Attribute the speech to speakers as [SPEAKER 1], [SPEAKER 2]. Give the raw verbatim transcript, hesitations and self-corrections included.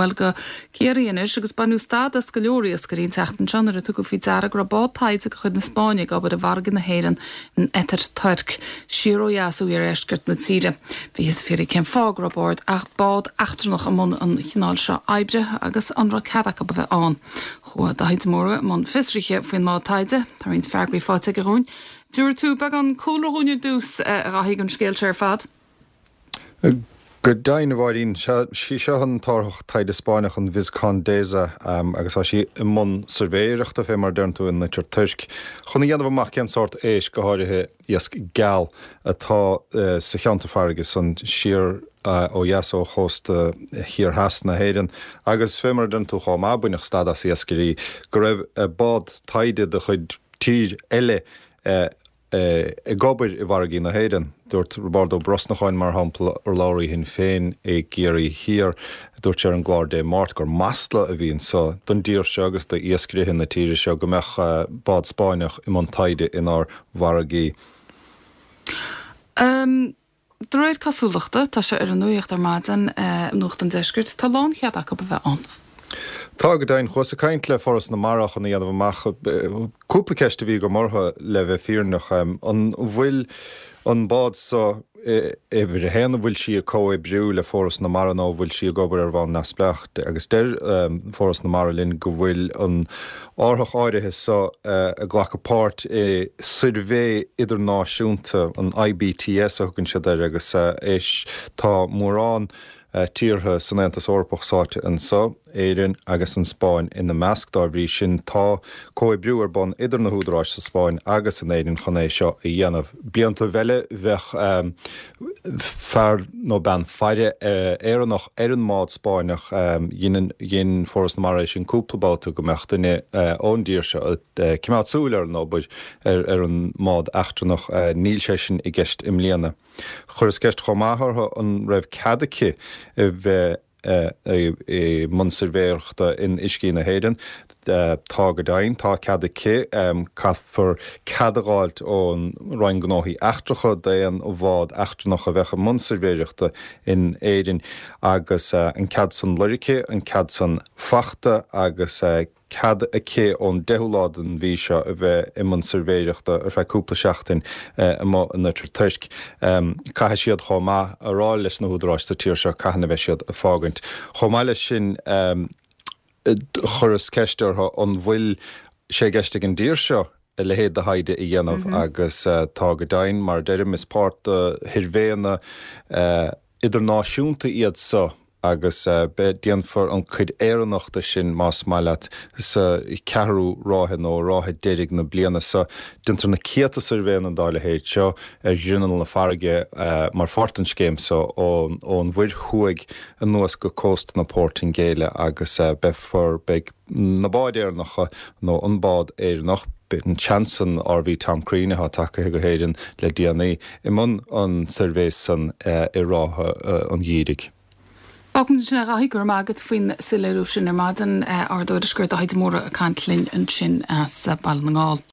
[SPEAKER 1] bhuel, go Ciarraí anois agus baineadh stad as go leor iascairí an tseachtain seo nuair a tugadh faoi deara go raibh bád taighde de chuid na Spáinne ag obair i bhfarraige na hÉireann in Oitir Toirc, siar ó dheas ó iardheisceart na tíre. Bhíothas ag fiafraí cén fáth go raibh bord ach bád eachtrannach i mbun an chineáil seo oibre agus an raibh cead acu a bheith ann. Chuaigh Daithí de Mórdha i mbun fiosraithe faoin mbád taighde, tá roinnt freagraí faighte aige dhúinn. Tabharfaidh tú beagán cúlra dhúinn ar dtús a Dhaithí don scéal seo ar fad.
[SPEAKER 2] Go deimhin, a Mháirín, sí seo an t-árthach taighde Spáinneach an Vizcondesa agus tá sí i mbun suirbhéireachta, fé mar a deireann tú, in Oitir Toirc, chun a dhéanamh amach cén sórt éisc, go háirithe iasc geal, atá sa cheantar farraige san siar ó dheas ó chósta thiar theas na hÉireann. Agus fé mar a deireann tú chomh maith, baineadh stad as iascairí go raibh bád taighde de chuid tír eile ag obair i bhfarraigí na hÉireann. Dúirt Roibeárd Ó Brosnacháin, mar shampla, urlabhraí Shinn Féin i gCiarraí Thiar, dúirt sé ar an gclár Dé Máirt gur masla a bhí anso don dtír seo agus d'iascairithe na tíre seo go mbeadh bád Spáinneach i mbun taighde inár bhfarraigí.
[SPEAKER 1] De réir cosúlachta, tá sé ar an nuacht ar maidin, Nuacht an Deiscirt, tá lánchead acu a bheith ann.
[SPEAKER 2] Tá, go deimhin. Chuas ag caint le Foras na Mara chun a dhéanamh amach cúpla ceist a bhí agam orthu le bheith fírinneach. An bhfuil an bád so, uimhir a haon, an bhfuil sí ag comhoibriú le Foras na Mara nó an bhfuil sí ag obair ar bhonn neamhspleách? Agus deir Foras na Mara linn go bhfuil an árthach áirithe so ag glacadh páirt i suirbhé idirnáisiúnta, an I B T S a thugann siad air, agus tá mórán tíortha san Aontas Eorpach sáite anso, Éirinn agus an Spáinn ina measc. Dá bhrí sin, tá comhoibriú ar bun idir na húdaráis sa Spáinn agus in Éirinn chun é seo a dhéanamh. Blianta eile bheadh fear nó bean faire Éireannach ar an mbád Spáinneach. Dhein Foras na Mara é sin cúpla babhta go mbeadh duine ón dtír seo ag coimeád súil ar an obair ar an mbád eachtrannach. Níl sé sin i gceist i mbliana. Chuireas ceist chomh maith orthu an raibh cead aici a bheith i mbun suirbhéireachta in uiscí na hÉireann. Tá go deimhin, tá cead aici. Caithfear cead a dh'fháilt ón Roinn Gnóthaí Eachtracha d'aon bhád eachtrannach a bheadh i mbun suirbhéireachta in Éirinn agus an cead san lorgtha, an cead san fachta agus cead aici ón deichiú lá den mhí seo a bheith i mbun suirbhéireachta ar feadh cúpla seachtain amuigh in Oitir Toirc. Caithfidh siad chomh maith a rá leis na húdaráis sa tír seo cathain a bheidh siad ag fágaint. Chomh maith leis sin, chuireas ceist orthu an bhfuil sé i gceist ag an dtír seo a leithéid de thaighde a dhéanamh agus tá go deimhin, mar a deirim, is páirt de shuirbhéanna idirnáisiúnta iad so agus déanfar an chuid Éireannach de sin, más maith leat, sa cheathrú ráithe nó ráithe deiridh na bliana seo. Déantar na céadta suirbhéanna dá leithéid seo ar ghrinneall na farraige mar pháirt den scéim seo ón Mhuir Thuaidh anuas go cósta na Portaingéile agus beifear, beidh na báid Éireannacha nó an bád Éireannach, an seans an R V Tom Crean atá tagtha go hÉirinn le déanaí, i mbun an tsuirbhé san i rátha an gheimhridh.
[SPEAKER 1] Fágfaimid ansin é, a Dhaithí, go raibh maith agat faoin soiléiriú sin ar maidin. Ár dtuairisceoir Daithí de Mórdha ag caint linn ansin as Baile na nGall.